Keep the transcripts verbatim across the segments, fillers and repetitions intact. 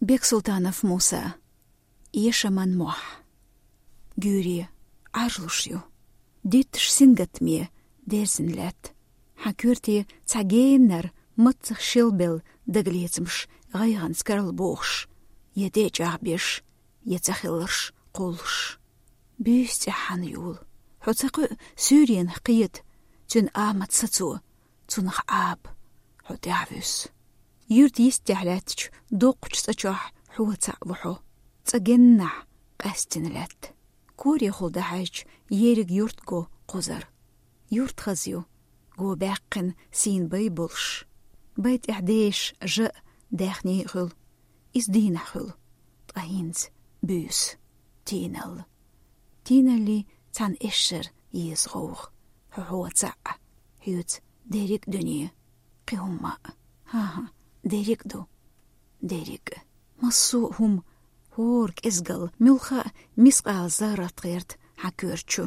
Бексултанов Муса. Эшаман мохь. Гуьйре Ӏаржлуш ю. Дитташ сингаттаме дерзина лаьтта. Хьан коьрте цхьа геннара маццах шелбелла дагалецамаш гӀайгӀанца карла бохуш, я тӀечӀагӀбеш, я цахиларш кхуллуш. Буьйса цӀехь хьан юла? Хьо ца кхуьу суьйренах кхета, цуьнан амат сацо, цунах Ӏаба хьо тӀаьхьавуьсу. Юьрта йистехь лаьттачу доккхачу цӀа чохь хьо цхьаъ ву хьо. ЦӀа геннахь къаьстина лаьтта. Корехула дӀахьаьжча, ерриг юрт го кхузара. Юрт хаза ю, го баьккхина сийна бай болуш. Бай тӀехь дешаш жа а, даьхний а хуьлу. Иза дийнахь хуьлу, ткъа хӀинца буьйса тийналла. Тийналлин цхьана эшшара еза гӀовгӀа. Хьо хьо цхьаъ, хьоьца дерриг а дуьне. Кхин хӀумма а. ХӀан-хӀа, дерриг а ду. Дерриг а. Массо а хӀума, хӀора кӀезгалла, муьлхха а мискъала заррат гӀерта хьан коьрта чу.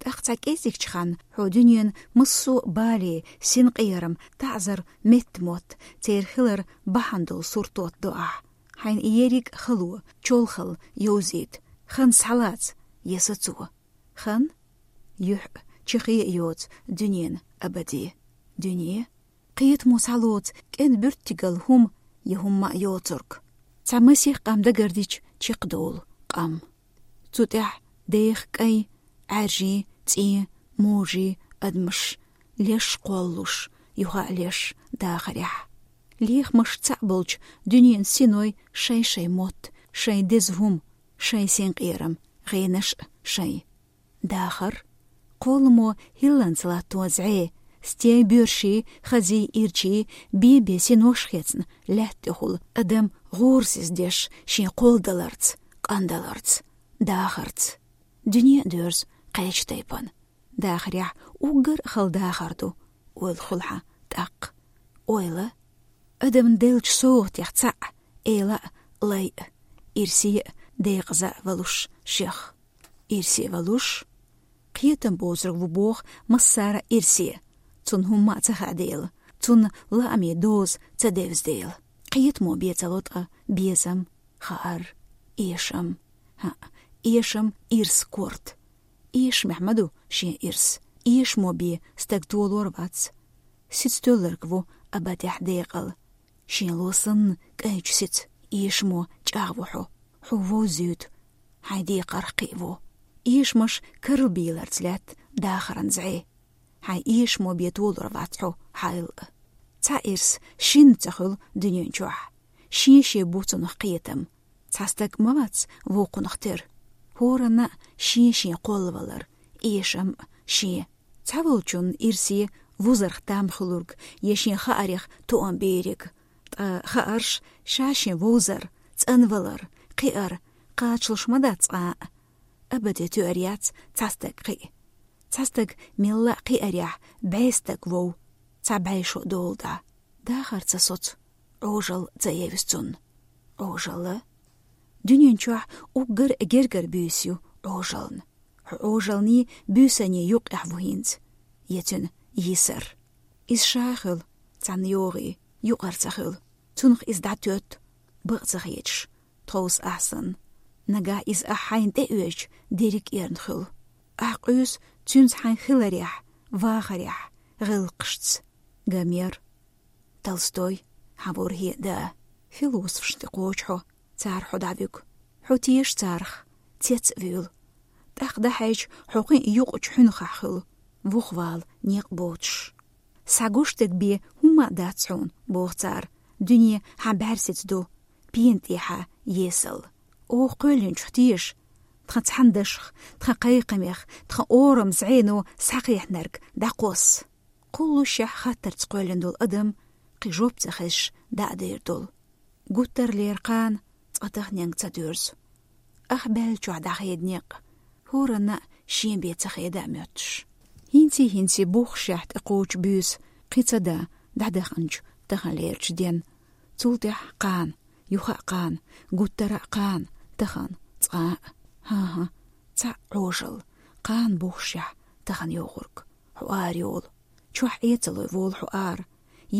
ТӀаккха цхьа кӀеззигчу ханна хьо дуьненан массо а бале, синкъерам, таӀзар метта мотт, церан хилар бахьана долу сурт тотто ахь. Хьайна ерриг а хало, чолхалла йовзийта, хан схьалаца я сацо. Хан? Юьхь а, чехе а йоцу дуьненан абаде. Дуьне? Кхетамо схьалоцу кӀен буьртигал хӀума я хӀумма а йоцург. Цхьа масех къам дагардича чекхдолу къам. Цу тӀехь деха кӀайн, Ӏаьржийн, цӀийн, можийн адамаш, леш кхоллалуш, юха а леш дахарехь. Лехамаш цхьаъ болчу дуьненан синой шайн-шайн мотт, шайн деза хӀума, шайн синкъерам, гӀенаш а шайн. Дахар. Кхолламо хӀилланца латто зӀе, стен боьрший, хазий, ирчий, бен-бен синош хецна лаьтта тӀехула адам гӀорасиз деш шен кхолладаларца, къандаларца, дахарца. Дуьне а доьрзу кхечу тайпана. Дахарехь уггар а хала дахар ду, ойла хуьлу хьан тӀаккха. Ойла. Адамна деллачу совгӀатех цхьаъ, эла а, лай а, ирсе а, декъаза а валуш шех. Ирсе валуш? Кхетам боцург ву боху массара а ирсе. Цунна хӀумма а ца хаьа дела, цунна лаамийн доза ца девза дела. Кхетамо бен ца ло ткъа безам, хаар, эшам. ХӀаъ, эшам ирс корта. Эшамехь ма ду шен ирс. Эшамо бен стаг толор вац. Сица тоьлларг ву абадехь декъала. Шен ло санна кӀайчу сица эшамо чӀагӀ ву хьо. Хьо вовзуьйту, хьайн декхарх кхиаво. Эшамаш карлабийларца лаьтта дахаран зӀе. Хьайн эшамо бен толор вац хьо хьайл а. Цхьа ирс шинна ца хуьлу дуьнен чохь. Шен-шен бу цунах кхетам. Цхьа стаг ма вац вукхунах тера. ХӀоранна а шен-шен кхоллавалар, эшам а шен. Цхьаволчунна ирсе вузарх там хуьлург я шен хаарех тоам бериг. Ткъа хаарш ша-шен вовзар, цӀанвалар, кхиар кхачалуш ма дац цкъа а. Абаде тоьар яц цхьа стаг кхиа. Цхьа стаг мелла а кхиарехь, бӀе стаг вов, цхьа бӀе шо долу дӀа. Дахар ца соцу, Ӏожалла ца евза цунна. Ӏожалла? Дуьнен чохь уггар а гергара буьйса ю Ӏожаллин. Хьо Ӏожаллиний буьйсанний юккъехь ву хӀинца, я цуьнан йисар. Иза ша а хуьлу, цхьанна йогӀий, юкъара ца хуьлу. Цунах иза дӀатоьтту, бакъ ца хеташ, тховса ахь санна. Нагахь иза ахь хьайна тӀеоьжча, дерриг а эрна хуьлу. Ахь къуьйсу цуьнца хьайн хиларехь, вахарехь, гӀиллакхашца. Гомер. Толстой, хьан ворхӀе а да. Философашна тӀе кхочу хьо, цара хьо дӀавуьгу. Хьо теша царах, цец а вуьйлу. ТӀаккха дӀахьаьжча, хьо кхин а юкъачу хьуьнхахь хуьлу, вухавала некъ боцуш. Схьагуш дерг бен хӀумма а дац хьуна, боху цара, дуьне хьан бӀаьрсица ду, пена тӀехьа есал. Оха кхоьллинчух теша, тхан цхьана дашах, тхан кхайкхамех, тхан ораман зӀено схьакхехьнарг дӀакхосса. Кхуллушехь хаттарца кхоьллина долу адам кхин жоп ца хезаш дӀа а дер долу. Гуттарлера кхана цкъа таханенга ца доьрзу. Ах баьллачохь дӀахеда некъ, хӀоранна а шен бен ца хеда а моьттуш. ХӀинций-хӀинций буххушехь тӀекхочу буьйса кхин ца да дӀадаханчу таханлерачу ден. Цул тӀаьхьа кхана, юха а кхана, гуттара а кхана, тахана цкъа а. ХӀан-хӀа, цхьаъ Ӏожалла, кхана буххушехь тахана йогӀург. Хьо ара йолу. Чохь Ӏецалой волу хьо ара.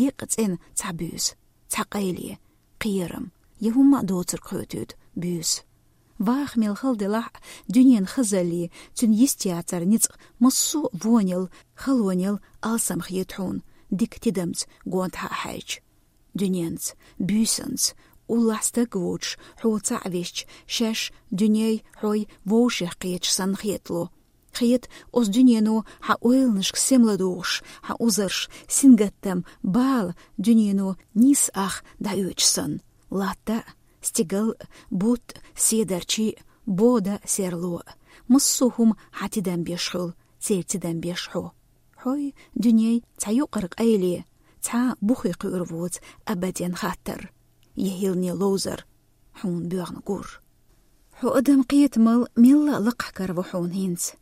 Еккъа цӀена цхьа буьйса, цхьа къайле, кхерам, я хӀумма а доцург хоьтуьйту буьйса. Ваха мел хала делахь а, дуьненан хазаллий, цуьнан йистехь цара ницкъ массо а вонел, халонел алсам хета хьуна, дика тидамца гонтахьа а хьаьжча. Дуьненца, буьйсанца, уллохь стаг воцуш, хьо цхьаъ висча, шаьш дуьней, хьой вовшех кхеташ санна хетало. Хета, оцу дуьнено хьан ойланашка сема ладугӀуш, хьан узарш, сингаттам, бала дуьнено нийсса ах дӀаоьцуш санна. Латта а, стигал а, бутт а, седарчий а, бода а, серло а. Массо а хӀума хьан тидам беш хуьлу, церан тидам беш хьо. Хьой, дуьней, цхьа юкъара къайле, цхьа а бухе кхуьур воцу абаден хаттар, я хӀиллане ловзар, хьуна боьгӀна гур. Хьо адам кхетамал мелла а лакхахь кара ву хьуна хӀинца.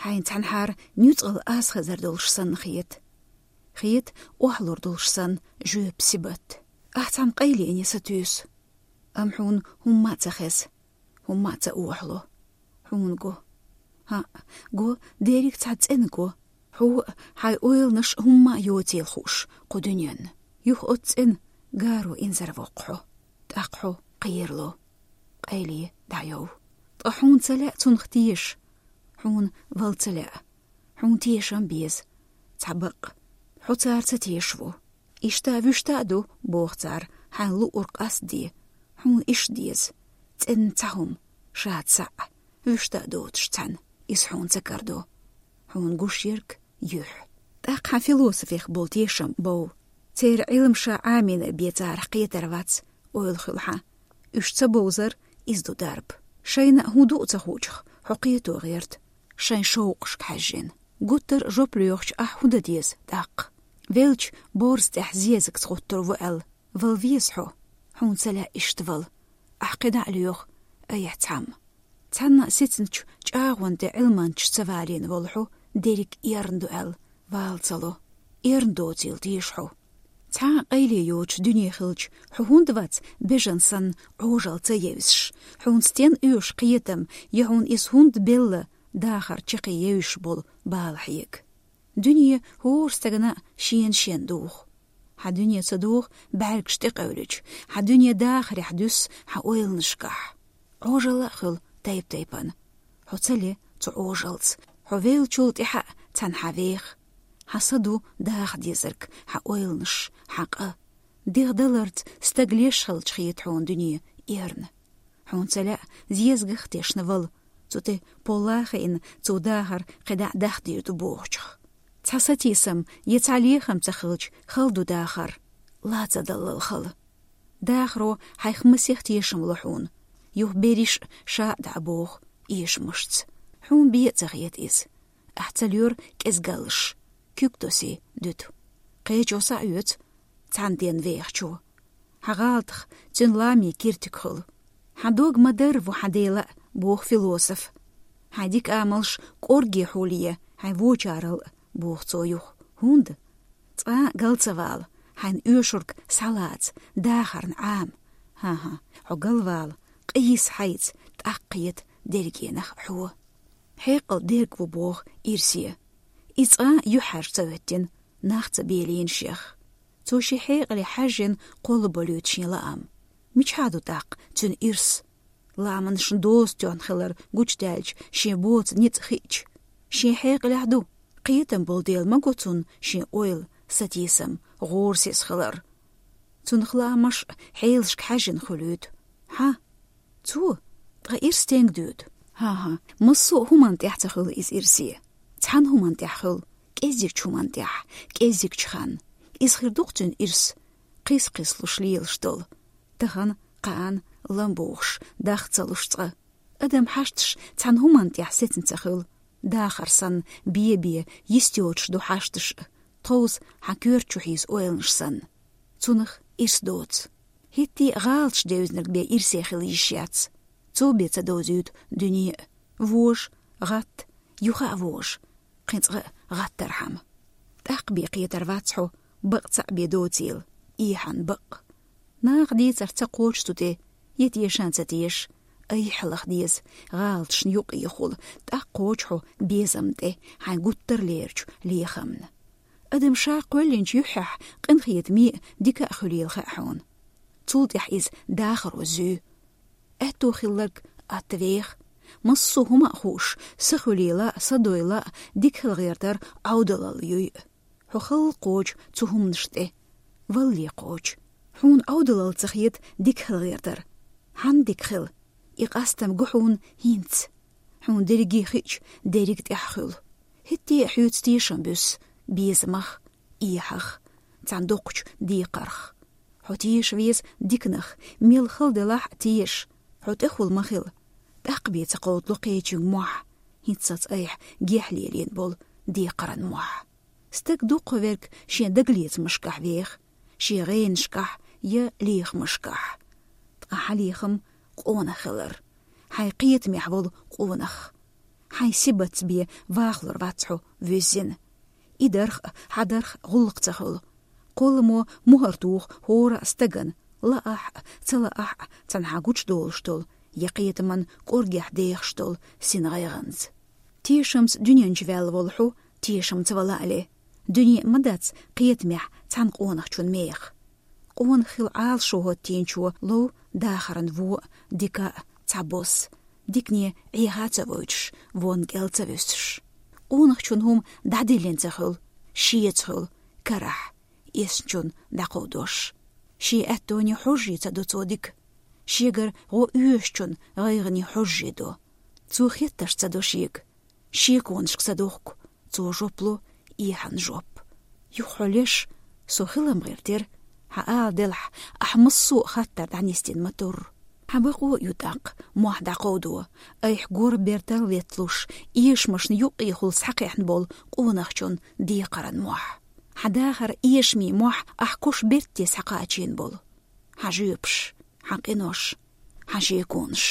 Хьайна цхьанхьара нуьцкъала аз хезар долуш санна хета. Хета, охьалур долуш санна жоьпан сибат. Ахь цхьана къайлене сатуьйсу. Амма хьуна хӀумма а ца хеза, хӀумма а ца охьало. Хьуна го. ХӀаъ, го, дерриг цхьа цӀена го. Хьо а, хьайн ойланаш а хӀумма а йоцийла хууш кху дуьненна. Юха оцу цӀена гаро инзарвоккху хьо. ТӀаккха хьо кхерало. Къайле дӀайов. Ткъа хьуна ца лаьа цунах теша. Хьуна вала ца лаьа. Хьуна тешам беза. Цхьа бакъ. Хьо цара ца тешаво. Иштта а, вуьшта а ду, боху цара, хьайн луург къастаде. Хьуна иштта деза. ЦӀенна цхьа хӀума, шаца схьа, вуьшта а доцуш цхьаьна, иза хьуна ца карадо. Хьуна гуш ерг юьхь. ТӀаккха хьан философех болу тешам бов. Церан Ӏилма ша Ӏамийна бен царах кхетар вац, ойла хуьлу хьан. Уьш ца бовзар, иза ду дарба. Шайна а хӀун ду а ца хуучух, хьо кхето гӀерта, шайн шовкъашка хьаьжжина. Гуттар а жоп лоьхучу ахь хӀун дан деза тӀаккха? Велча, борза тӀехь зезагца гӀуттур ву аьлла, вала веза хьо. Хьуна ца лаьа иштта вала. Ахь кхидӀа а лоьху, айхьа цхьамма. Цхьанна а сецначу чӀагӀонан тӀе Ӏилманчаш ца валийна волу хьо дерриг эрна ду аьлла, вала ца ло. Эрна доцийла теша хьо. Цхьа а къайле йоцуш дуьне хилча, хьо хӀунда вац бежан санна Ӏожалла ца евзаш? Хьуна стен оьшу кхетам, я хьуна иза хӀунда белла дахар чаккхе евзаш болу бала хьега? Дуьне хӀора стагана а шена-шена духу. Хьан дуьне ца духу бӀаьргаш тӀекъевлича, хьан дуьне дахарехь дуьсу хьан ойланашкахь. Ӏожалла а хуьлу тайп-тайпана. Хьо ца ле цу Ӏожаллаца, хьо веллачул тӀаьхьа а цхьаьна хьан веха. Хьан са ду даха дезарг, хьан ойланаш, хьан къа. ДегӀ даларца стаг леш хилча хета хьуна дуьне эрна. Хьуна ца лаьа зезагах а тешна вала, цу тӀе полла а хиъна, цо дахар кхидӀа а дахдийр ду бохучух. Цхьа сатийсам я цхьа лехам ца хилча, хала ду дахар, ла ца даллал хала. Дахаро хьайх масех тешам ло хьуна, юха берриш а ша а дӀа боху эшамашца. Хьуна бен а ца хета иза. Ахь ца лоьру кӀезгаллаш, куьг тосий дуьту. Кхечо схьаоьцу, цхьана ден вехачо. Хьан гӀалатах цуьнан лами киртиг хуьлу. Хьан дог ма-дарра ву хьан Дела а, боху философ. Хьайн дика амалш кӀорге хьулъе хьайн вочарал а, боху цо юха. ХӀунда? Цкъа а гал ца вала, хьайна оьшург схьалаца, дахарна Ӏама. ХӀан-хӀа, хьо галвала, къийса хьайца, тӀаккха кхета дерригенах хьо. Хьекъал дерг ву боху ирсе. И цкъа а юьхьӀаьржа ца хӀоьттина, нах ца белийна шех. Цо шен хьекъале хьаьжжина кхоллаболуьйту шен лаам. Мичахьа ду тӀаккха цуьнан ирс? Ламанашна доза тоьхна хилар гучудаьлча, шен боцу ницкъ хиъча, шен хьекъалехь ду. Кхетам болу дела ма го цунна шен ойла, сатийсам, гӀорасиз хилар. Цунах лаамаш а хьелашка хьаьжжина хуьлуьйту. Хьан? Цо? Ткъа ирс стенга дуьту? ХӀан-хӀа, массо а хӀуманна тӀехь ца хуьлу иза ирсе. Цхьана хӀуманна тӀехь хуьлу, кӀеззигчу хӀуманна тӀехь, кӀеззигчу ханна. Иза хир ду-кх цуьнан ирс, кхийса-кхийсалуш лелаш долу. Тахана, кхаанна, лам бухуш, даха ца луш цкъа. Адам хьашташ цхьана хӀуманна тӀехь сецна ца хуьлу. Дахар санна, бе-бе, йист йоцуш ду хьашташ а, тховса хьан коьрта чу хьийза ойланаш санна. Цунах ирс доцу. ХӀетте а гӀалаташ девзинарг бен ирсе хила йиш яц. Цо бен ца довзуьйту дуьне а. Вожа, гӀатта, юха а вожа, кхин цкъа а гӀаттархьама. ТӀаккха бен кхетар вац хьо, бакъ цхьаъ бен доцийла, эхьан бакъ. Наха дийцарх ца кхочу цу тӀе, я тешан ца теша, айхьа лаха деза гӀалаташна юкъехула, тӀаккха кхочу хьо безамна тӀе хьайн гуттар а лерачу лехамна. Адам ша кхоьллинчу юьххьехь къинхетаме а, дика а хуьлийла хаьа хьуна. Цул тӀехь иза дахаро зуьй. Аьтто хилларг атта веха. Массо а хӀума а хууш, са хуьлийла а, са дойла а, дика хила гӀертар Ӏовдалал юй. Хьо хала кхочу цу хӀуманаш тӀе. Валле кхочу. Хьуна Ӏовдалал ца хета дика хила гӀертар. Хьанна дика хила? И къастам го хьуна хӀинца. Хьуна дерриге хиъча, дерриг тӀехь хуьлу. ХӀетте а хьоьца тешам буьсу, безамах, эхьах, цхьана доккхачу декхарх. Хьо теша веза диканах, мел хала делахь а теша, хьо тӀехула ма хила. ТӀаккха бен ца кховдало кхечуьнга мохь, хӀинццалц айхьа гехь лелийна болу декхаран мохь. Стаг дуккха верг шен дагалецамашкахь веха, шен гӀенашкахь я лехамашкахь. Ткъа хьан лехам къонах хилар. Хьайн кхетамехь волу къонах. Хьайн сибатца бен вахалур вац хьо вуьззина. И дарх а, хьан дарх а гӀуллакх ца хуьлу. Кхолламо мухӀар туху хӀора а стагана, лаахь а, ца лаахь а, цхьана хьан гучудолуш долу, я кхетаман кӀоргехь дехаш долу син гӀайгӀанца. Тешамца дуьнен чу ваьлла волу хьо, тешамца вала але. Дуьне а ма дац кхетамехь цхьана къонахчун меха. Къонах хила Ӏалашо хӀоттийначо лов дахаран вон а, дика а, цхьабосса. Дикане Ӏеха а ца войтуш, вон кӀел ца вуьсуш. Къонахчун хӀума дӀадиллина ца хуьлу, шеца хуьлу, карахь, эсначунна дӀакховдош. Шен аьттоне хьожжий ца до цо дика. Шегара гӀо оьшучун гӀайгӀане хьожжий до. Цо хеттарш ца до шега. Шеконашка ца дохку, цо жоп ло, эхьан жоп. Юха хьо леш, со хилам гӀиртира, хьан ала делахь, ахь массо а хаттар дӀанисдина ма-турра. Хьан бакъо а ю тӀаккха, мохь дӀакховдо, айхьа гора бертал летталуш, эшамашна юккъехула схьакхехьна болу къонахчун декхаран мохь. Хьан дахар эшамийн мохь ахь куш бертте схьакхачийна болу. Хьан жоьпаш, хьан къинош, хьан шеконаш.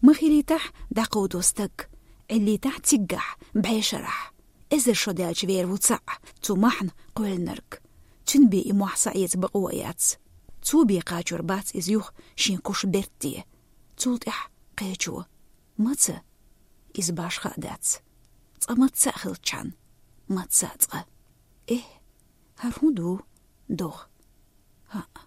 Ма хилийтахь дӀакховдо стаг, Ӏиллийтахь циггахь, бӀешарахь. Эзар шо даьлча вер ву цхьаъ, цу мохьна кхоьллинарг. Цуьнан бен и мохь схьаэца бакъо а яц. Цо бен кхачор бац иза юха шен куш бертте. Цул тӀаьхьа кхечо. Маца? Иза башха а дац. Цкъа маца а хилчхьана. Маца а цкъа. Эхь, хӀара хӀун ду? ДогӀа. ХӀаъ,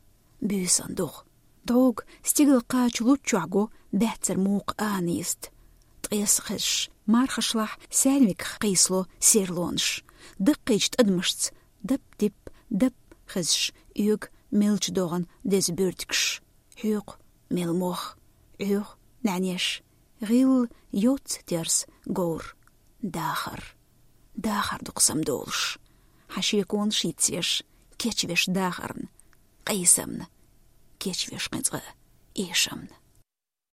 буьйсан догӀа. ДогӀа стигала кхача луччохь го баьццара мукха анийста. Ткъеса хезаш, мархашлахь саьрмиках кхийсало серлонаш. Даккхийчу тӀадамашца дап-дип, дап хезаш, оьгу мелча догӀан деза буьртигаш. Хьоькху мел мох, Ӏоьху нӀаьнеш, гӀилла йоцца терса говр. Дахар. Дахар ду-кх самадолуш. Хьан шеконаш йицъеш, кечвеш дахарна, къийсамна, кечвеш кхин цкъа эшамна.